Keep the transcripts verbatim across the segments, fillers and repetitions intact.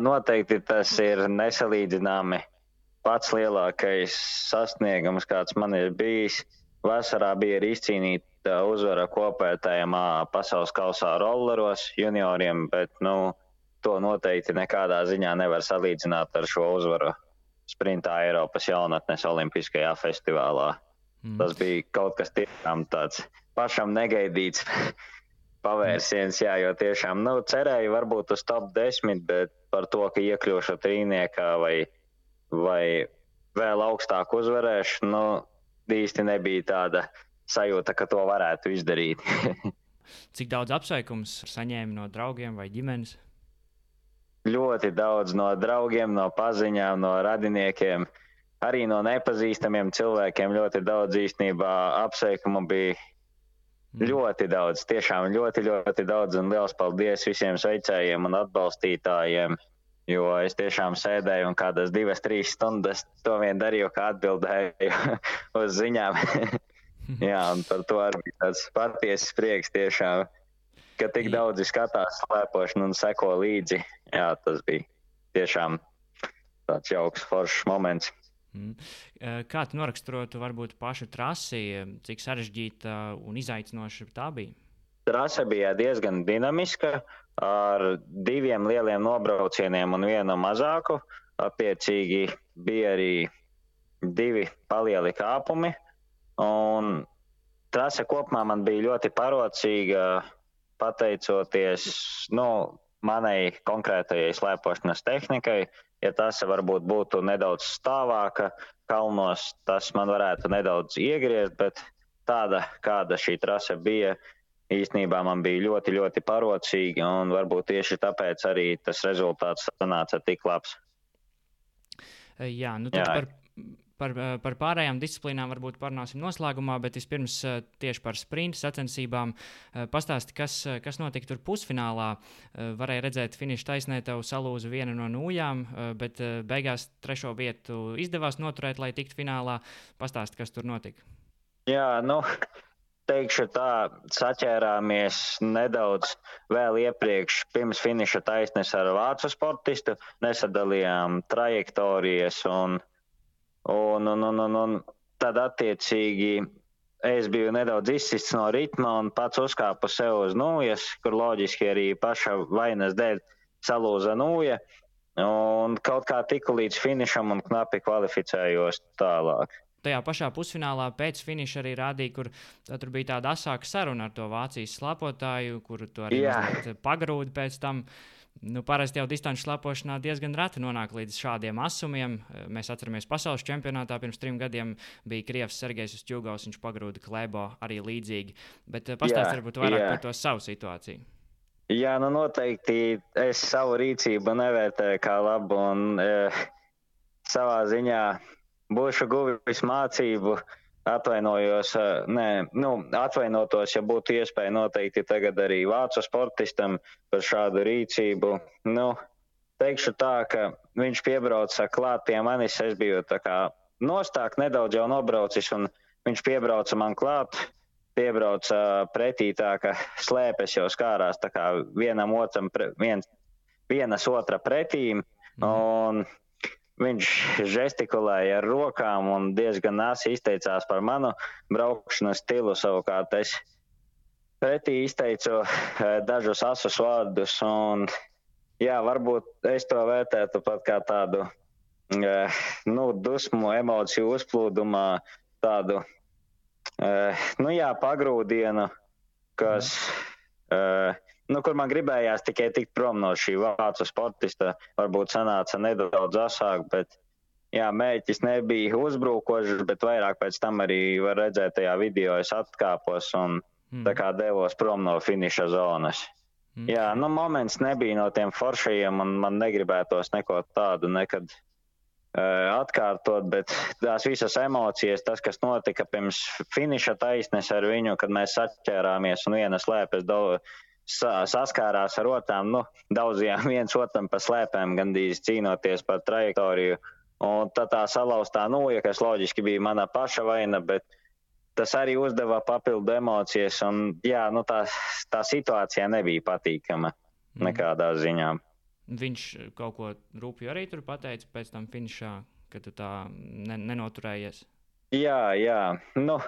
Noteikti tas ir nesalīdzināmi pats lielākais sasniegums, kāds man ir bijis. Vasarā bija arī izcīnīta uzvara kopētājiem pasaules kausā rolleros junioriem, bet nu, to noteikti nekādā ziņā nevar salīdzināt ar šo uzvaru sprintā Eiropas jaunatnes olimpiskajā festivālā. Mm. Tas bija kaut kas tiešām tāds pašam negaidīts pavērsiens, jā, jo tiešām, nu, cerēju varbūt uz top desmit, bet par to, ka iekļūšu trīniekā vai, vai vēl augstāk uzvarēšu, nu, īsti nebija tāda sajūta, ka to varētu izdarīt. Cik daudz apsveikums saņēmi no draugiem vai ģimenes? Ļoti daudz no draugiem, no paziņām, no radiniekiem, arī no nepazīstamiem cilvēkiem ļoti daudz īstenībā apsveikumu bija. Mm. Ļoti daudz, tiešām ļoti, ļoti daudz, un liels paldies visiem sveicējiem un atbalstītājiem, jo es tiešām sēdēju un kādas divas, trīs stundas to vien darīju, kā atbildēju uz ziņām. Jā, un par to arī tāds patiesas prieks tiešām, ka tik daudzi skatās slēpošanu un seko līdzi. Jā, tas bija tiešām tāds jauks, foršs moments. Mm. Kā tu noraksturotu varbūt pašu trasi, cik sarežģīta un izaicinoša tā bija? Trase bija diezgan dinamiska, ar diviem lieliem nobraucieniem un vienu mazāku. Attiecīgi bija arī divi palieli kāpumi. Un trase kopumā man bija ļoti parocīga, pateicoties nu, manai konkrētajai slēpošanas tehnikai. Ja trase varbūt būtu nedaudz stāvāka kalnos, tas man varētu nedaudz iegriezt, bet tāda, kāda šī trase bija, īstenībā man bija ļoti, ļoti parocīga, un varbūt tieši tāpēc arī tas rezultāts sanāca tik labs. Jā, nu tad par, par, par pārējām disciplīnām varbūt parunāsim noslēgumā, bet vispirms tieši par sprinta sacensībām. Pastāsti, kas, kas notika tur pusfinālā. Varēja redzēt finiša taisnē, tev salūza viena no nūjām, bet beigās trešo vietu izdevās noturēt, lai tiktu finālā. Pastāsti, kas tur notika. Jā, nu... Teikšu tā, saķērāmies nedaudz vēl iepriekš pirms finiša taisnes ar vācu sportistu, nesadalījām trajektorijas un, un, un, un, un, un tad attiecīgi es biju nedaudz izsists no ritma un pats uzkāpu sev uz nūjas, kur loģiski arī paša vainas dēļ salūza nūja un kaut kā tiku līdz finišam un knapi kvalificējos tālāk. Tajā pašā pusfinālā pēc finiša arī rādīja, kur tur bija tāda asāka saruna ar to Vācijas slēpotāju, kuru tu arī pagrūdi pēc tam. Nu, parasti jau distanču slēpošanā diezgan reti nonāk līdz šādiem asumiem. Mēs atceramies pasaules čempionātā pirms trim gadiem bija Krievs Sergejs Ustjūgaus, viņš pagrūda Klebo arī līdzīgi. Bet pastāst varbūt vairāk jā. Par to savu situāciju. Jā, nu noteikti es savu rīcību nevērtēju kā labu un e, savā ziņā būšu guvis mācību, atvainojos, nē, nu, atvainotos, ja būtu iespēja noteikti tagad arī vācu sportistam par šādu rīcību. Nu, teikšu tā, ka viņš piebrauca klāt pie manis, es biju tā kā nostāk nedaudz jau nobraucis, un viņš piebrauca man klāt, piebrauca pretī tā, ka slēpes jau skārās tā kā vienam otram, pre, viens, vienas otra pretīm, un viņš žestikulēja ar rokām un diezgan asi izteicās par manu braukšanas stilu. Savukārt es pretī izteicu dažus asus vārdus un jā, varbūt es to vērtētu pat kā tādu nu, dusmu, emociju uzplūdumā, tādu nu jā, pagrūdienu, kas... Mm. Nu, kur man gribējās tikai tikt prom no šī vācu sportista, varbūt sanāca nedaudz asāk, bet jā, mērķis nebija uzbrukošs, bet vairāk pēc tam arī var redzēt tajā video, es atkāpos un mm. tā kā devos prom no finiša zonas. Mm. Jā, nu, moments nebija no tiem foršajiem un man negribētos neko tādu nekad uh, atkārtot, bet tās visas emocijas, tas, kas notika pirms finiša taisnes ar viņu, kad mēs saķērāmies un viena slēpes daudz, saskārās ar otrām, nu, daudzījām viens otram pa slēpēm, gandrīz cīnoties par trajektoriju. Un tad tā salauztā nūja, kas loģiski bija mana paša vaina, bet tas arī uzdeva papildu emocijas. Un jā, nu tā, tā situācija nebija patīkama nekādā ziņā. viņš kaut ko rūpju arī tur pateica pēc tam finišā, ka tu tā ne, nenoturējies? Jā, jā. Nu,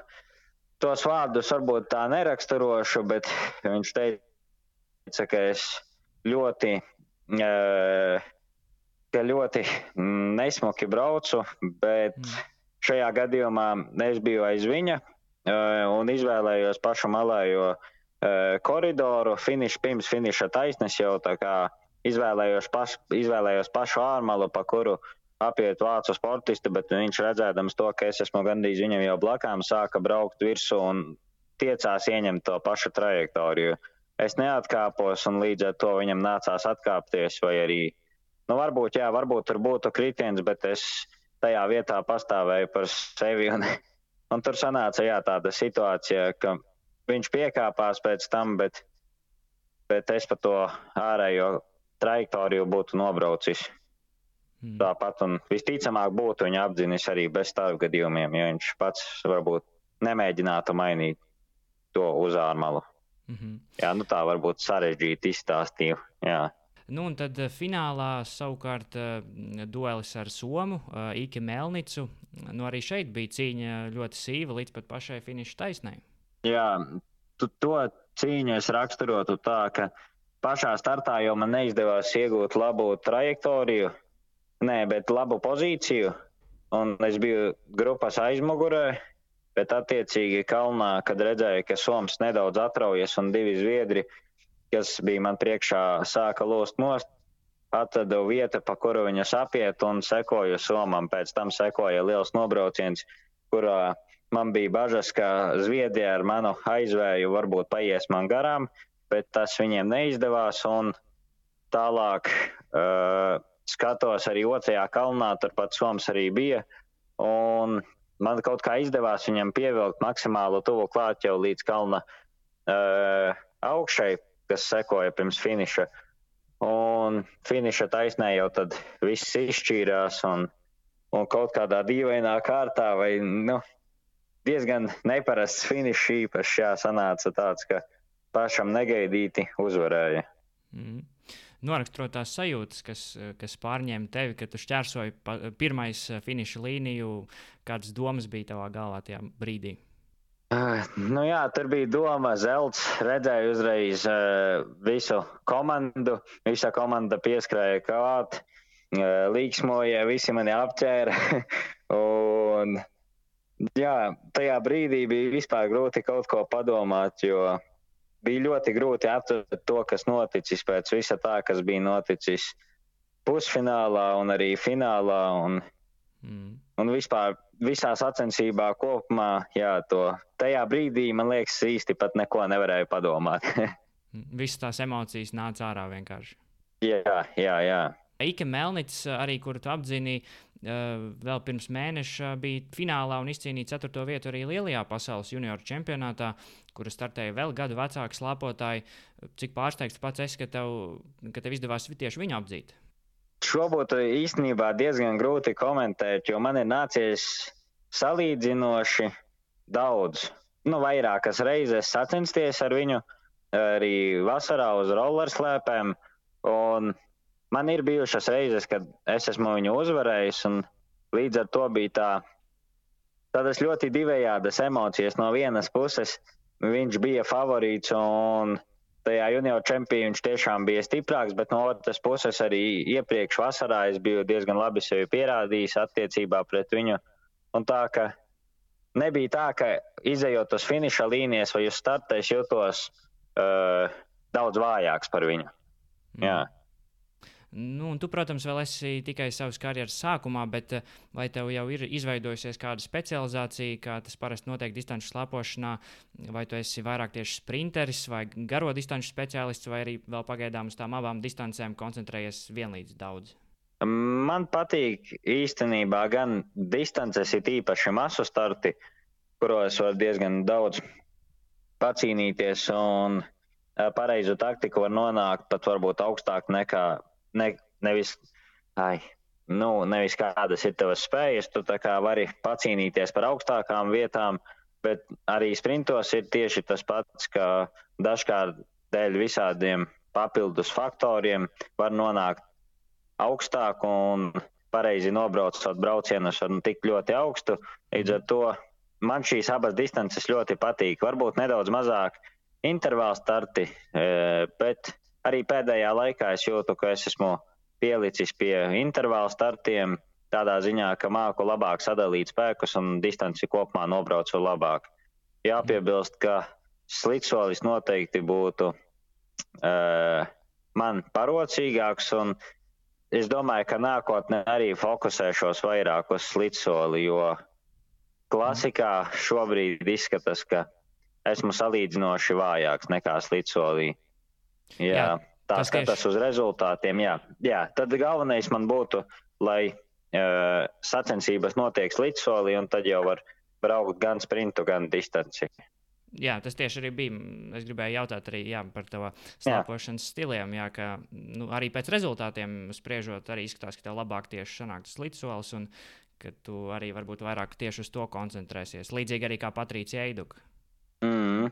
tos vārdus varbūt tā neraksturošu, bet viņš teica, ka es ļoti, ka ļoti nesmuki braucu, bet mm. šajā gadījumā es biju aiz viņa un izvēlējos pašu malējo koridoru, finiš, pirms finiša taisnes jau tā kā izvēlējos, paš, izvēlējos pašu ārmalu, pa kuru apiet vācu sportistu, bet viņš redzēdams to, ka es esmu gandrīz viņam jau blakām, sāka braukt virsū un tiecās ieņemt to pašu trajektoriju. Es neatkāpos un līdz ar to viņam nācās atkāpties vai arī, nu varbūt, jā, varbūt tur būtu kritiens, bet es tajā vietā pastāvēju par sevi un, un tur sanāca, jā, tāda situācija, ka viņš piekāpās pēc tam, bet, bet es pa to ārējo trajektoriju būtu nobraucis. Mm. Tāpat un visticamāk būtu viņa apdzinis arī bez starpgadījumiem, ja viņš pats varbūt nemēģinātu mainīt to uz ārmalu. Mm-hmm. Jā, nu tā varbūt sarežģīti izstāstīju, jā. Nu un tad finālā savukārt duelis ar Somu, Ike Melnicu. Nu arī šeit bija cīņa ļoti sīva līdz pat pašai finiša taisnei. Jā, tu, to cīņu es raksturotu tā, ka pašā startā jau man neizdevās iegūt labu trajektoriju, nē, bet labu pozīciju, un es biju grupas aizmugurē, bet attiecīgi kalnā, kad redzēju, ka Soms nedaudz atraujas un divi zviedri, kas bija man priekšā, sāka lūst nost, atradu vietu, pa kuru viņus apiet un sekoju Somam. Pēc tam sekoja liels nobrauciens, kurā man bija bažas, ka Zviedrija ar manu aizvēju varbūt paies man garām, bet tas viņiem neizdevās un tālāk uh, skatos arī otrajā kalnā, turpat Soms arī bija un man kaut kā izdevās viņam pievilkt maksimālu tuvu klāt jau līdz kalna uh, augšai, kas sekoja pirms finiša. Un finiša taisnē jau tad viss izšķīrās un, un kaut kādā dīvainā kārtā vai, nu, diezgan neparasts finišs īpaši, jā, sanāca tāds, ka pašam negaidīti uzvarēja. Mm. Noraksturot tās sajūtas, kas, kas pārņēma tevi, kad tu šķērsoji pa, pirmais finiša līniju, kādas domas bija tavā galvā tajā brīdī? Uh, nu jā, tur bija doma zelts, redzēju uzreiz uh, visu komandu, visa komanda pieskrēja klāt, uh, līksmoja, visi mani apķēra un jā, tajā brīdī bija vispār grūti kaut ko padomāt, jo bija ļoti grūti aptvert to, kas noticis pēc visa tā, kas bija noticis pusfinālā un arī finālā un, mm. un vispār visā sacensībā kopumā, jā, to tajā brīdī, man liekas, īsti pat neko nevarēju padomāt. Visas tās emocijas nāca ārā vienkārši. Jā, jā, jā. Ike Melnics, arī kuru tu apdzini, vēl pirms mēneša bija finālā un izcīnīja ceturto vietu arī lielajā pasaules junioru čempionātā, kura startēja vēl gadu vecāki slāpotāji. Cik pārsteigts pats esi, ka tev, ka tev izdevās tieši viņu apdzīt? Šo būtu īstenībā diezgan grūti komentēt, jo man ir nācies salīdzinoši daudz, nu vairākas reizes sacensties ar viņu, arī vasarā uz rollerslēpēm, un man ir bijušas reizes, kad es esmu viņu uzvarējis, un līdz ar to bija tā, tādas ļoti divējādas emocijas. No vienas puses viņš bija favorīts, un tajā junioru čempionā viņš tiešām bija stiprāks, bet no otras puses arī iepriekš vasarā es biju diezgan labi sevi pierādījis attiecībā pret viņu. Un tā, ka nebija tā, ka izejot uz finiša līnijas vai uz starta, es jutos uh, daudz vājāks par viņu. Mm. Jā. Nu, un tu, protams, vēl esi tikai savas karjeras sākumā, bet vai tev jau ir izveidojusies kāda specializācija, kā tas parasti notiek distanču slēpošanā, vai tu esi vairāk tieši sprinteris vai garo distanču speciālists, vai arī vēl pagaidām uz tām abām distancēm koncentrējies vienlīdz daudz? Man patīk īstenībā gan distances, ir īpaši masu starti, kuros var diezgan daudz pacīnīties un pareizu taktiku var nonākt pat varbūt augstāk nekā Ne, nevis, ai, nu, nevis kādas ir tavas spējas, tu tā kā vari pacīnīties par augstākām vietām, bet arī sprintos ir tieši tas pats, ka dažkārt dēļ visādiem papildus faktoriem var nonākt augstāk un pareizi nobraucot braucienus var tikt ļoti augstu. Līdz ar to man šīs abas distances ļoti patīk. Varbūt nedaudz mazāk intervāla starti, bet arī pēdējā laikā es jūtu, ka es esmu pielicis pie intervāla startiem tādā ziņā, ka māku labāk sadalīt spēkus un distanci kopumā nobraucu labāk. Jāpiebilst, ka slidsolis noteikti būtu uh, man parocīgāks, un es domāju, ka nākotnē arī fokusēšos vairāk uz slidsoli, jo klasikā šobrīd izskatās, ka esmu salīdzinoši vājāks nekā slidsolī. Jā, jā, tā skatās tieši uz rezultātiem. Jā, jā, tad galvenais man būtu, lai uh, sacensības notiek slidsolī, un tad jau var braukt gan sprintu, gan distanci. Jā, tas tieši arī bija. Es gribēju jautāt arī jā, par to slēpošanas stiliem, jā, ka nu, arī pēc rezultātiem spriežot arī izskatās, ka tev labāk tieši sanāk tas slidsolis un ka tu arī varbūt vairāk tieši uz to koncentrēsies. Līdzīgi arī kā Patricija Eiduka. Mm.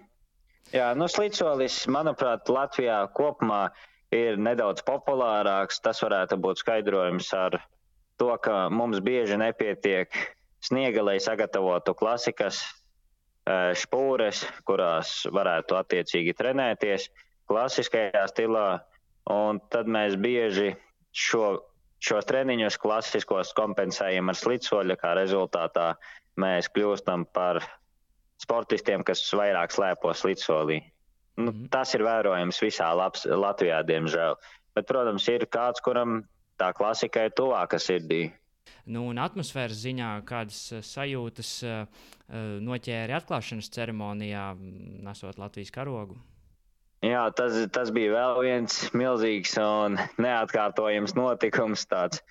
Jā, nu slidsolis, manuprāt, Latvijā kopumā ir nedaudz populārāks. Tas varētu būt skaidrojums ar to, ka mums bieži nepietiek sniega, lai sagatavotu klasikas špūres, kurās varētu attiecīgi trenēties klasiskajā stilā, un tad mēs bieži šo, šos treniņus klasiskos kompensējam ar slidsoļa, kā rezultātā mēs kļūstam par sportistiem, kas vairāk slēpo slidsolī. Nu, mm-hmm. Tas ir vērojams visā labs, Latvijā, diemžēl. Bet, protams, ir kāds, kuram tā klasika ir tuvāka sirdī. Nu, un atmosfēras ziņā kādas sajūtas uh, noķēri atklāšanas ceremonijā, nesot Latvijas karogu? Jā, tas, tas bija vēl viens milzīgs un neatkārtojams notikums. Tāds,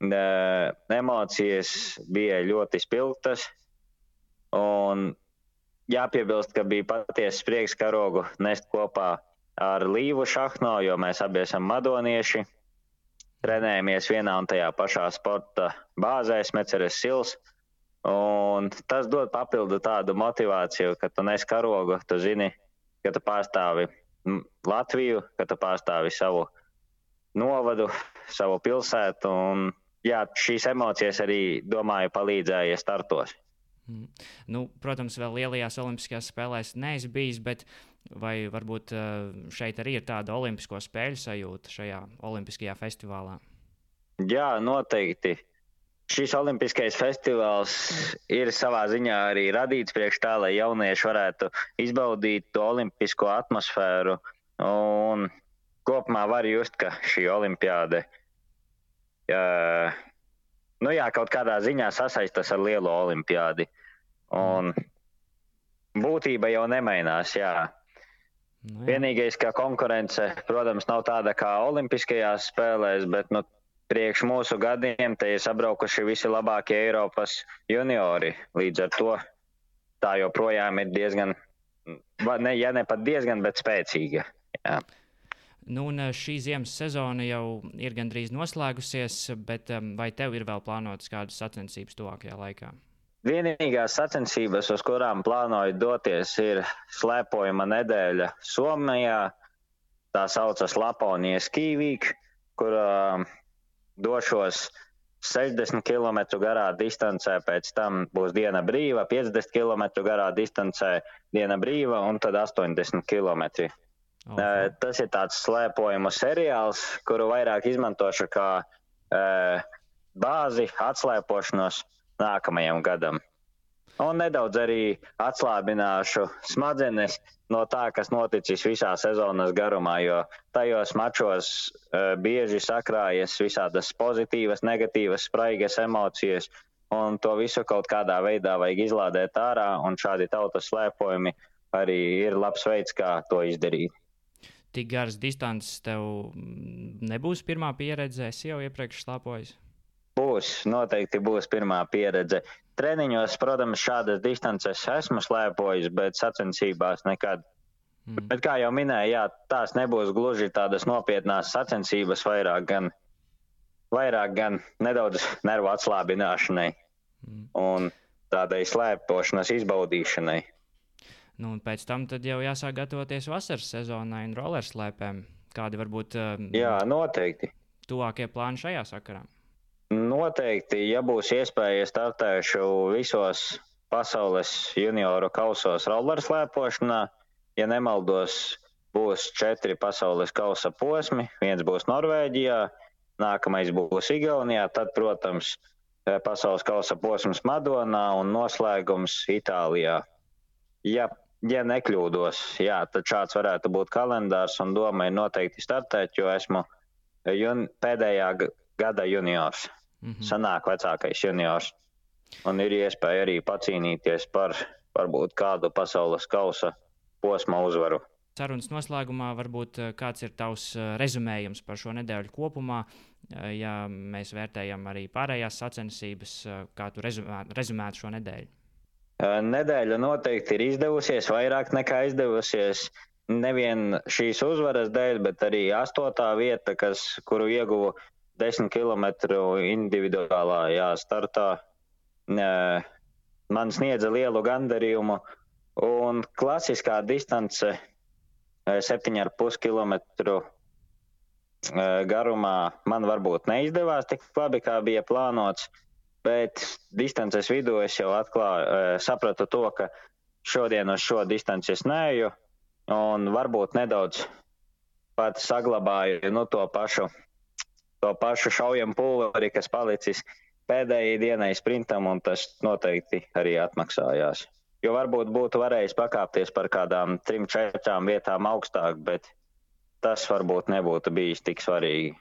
uh, emocijas bija ļoti spilgtas. Un jāpiebilst, ka bija patiesas prieks karogu nest kopā ar Līvu Šahno, jo mēs abi esam madonieši. Trenējamies vienā un tajā pašā sporta bāzē, Smeceres Sils, un tas dod papildu tādu motivāciju, ka tu nes karogu, tu zini, ka tu pārstāvi Latviju, ka tu pārstāvi savu novadu, savu pilsētu, un jā, šīs emocijas arī, domāju, palīdzēja startos. Mm. Nu, protams, vēl lielajās olimpiskajās spēlēs neesi bijis, bet vai varbūt šeit arī ir tāda olimpisko spēļu sajūta šajā olimpiskajā festivālā? Jā, noteikti. Šis olimpiskais festivāls ir savā ziņā arī radīts priekš tā, lai jaunieši varētu izbaudīt to olimpisko atmosfēru. Un kopumā var just, ka šī olimpiāde jā, nu jā, kaut kādā ziņā sasaistas ar lielo olimpiādi. Un būtība jau nemainās, jā. Nu, vienīgais, ka konkurence, protams, nav tāda kā olimpiskajās spēlēs, bet nu, priekš mūsu gadiem te ir sabraukuši visi labākie Eiropas juniori. Līdz ar to tā joprojām ir diezgan, ne, ja ne pat diezgan, bet spēcīga. Jā. Nu, un šī ziemas sezona jau ir gandrīz noslēgusies, bet vai tev ir vēl plānotas kādas sacensības tuvākajā laikā? Vienīgās sacensības, uz kurām plānoju doties, ir slēpojuma nedēļa Somijā. Tā saucas Laponija Ski Week, kur uh, došos sešdesmit kilometru garā distancē, pēc tam būs diena brīva, piecdesmit kilometru garā distancē diena brīva un tad astoņdesmit kilometri. Okay. Uh, tas ir tāds slēpojumu seriāls, kuru vairāk izmantošu kā uh, bāzi atslēpošanos nākamajam gadam. Un nedaudz arī atslābināšu smadzenes no tā, kas noticis visā sezonas garumā, jo tajos mačos uh, bieži sakrājas visādas pozitīvas, negatīvas, spraigas emocijas, un to visu kaut kādā veidā vajag izlādēt ārā, un šādi tautas slēpojumi arī ir labs veids, kā to izdarīt. Tik garas distances tev nebūs pirmā pieredze, esi jau iepriekš slēpojis? Būs, noteikti būs pirmā pieredze. Treniņos, protams, šādas distances esmu slēpojis, bet sacensībās nekad. Mm. Bet kā jau minēju, jā, tās nebūs gluži tādas nopietnās sacensības, vairāk gan, vairāk gan nedaudz nervu atslābināšanai mm. un tādai slēpošanas izbaudīšanai. Nu, un pēc tam tad jau jāsāk gatavoties vasaras sezonai un rollerslēpēm. Kādi varbūt uh, jā, noteikti. tuvākie plāni šajā sakarā? Noteikti, ja būs iespēja, startēšu visos pasaules junioru kausos rollerslēpošanā. Ja nemaldos, būs četri pasaules kausa posmi. Viens būs Norvēģijā, nākamais būs Igaunijā, tad, protams, pasaules kausa posms Madonā un noslēgums Itālijā. Ja, ja nekļūdos, jā, tad šāds varētu būt kalendārs un doma ir noteikti startēt, jo esmu jun, pēdējā gada juniors. Mm-hmm. Sanāk vecākais juniors. Un ir iespēja arī pacīnīties par varbūt kādu pasaules kausa posma uzvaru. Sarunas noslēgumā varbūt kāds ir tavs rezumējums par šo nedēļu kopumā, ja mēs vērtējam arī pārējās sacensības, kā tu rezumētu, rezumētu šo nedēļu? Nedēļa noteikti ir izdevusies, vairāk nekā izdevusies. Nevien šīs uzvaras dēļ, bet arī astotā vieta, kas, kuru ieguvu desmit kilometru individuālā startā, man sniedza lielu gandarījumu, un klasiskā distance septiņi ar pus kilometru garumā man varbūt neizdevās tik labi, kā bija plānots, bet distances vidū es jau atklāju, sapratu to, ka šodien uz šo distanci es neeju, un varbūt nedaudz pat saglabāju nu, to pašu to pašu šaujamu pulveri, kas palicis pēdējai dienai sprintam, un tas noteikti arī atmaksājās. Jo varbūt būtu varējis pakāpties par kādām trim, četrām vietām augstāk, bet tas varbūt nebūtu bijis tik svarīgi.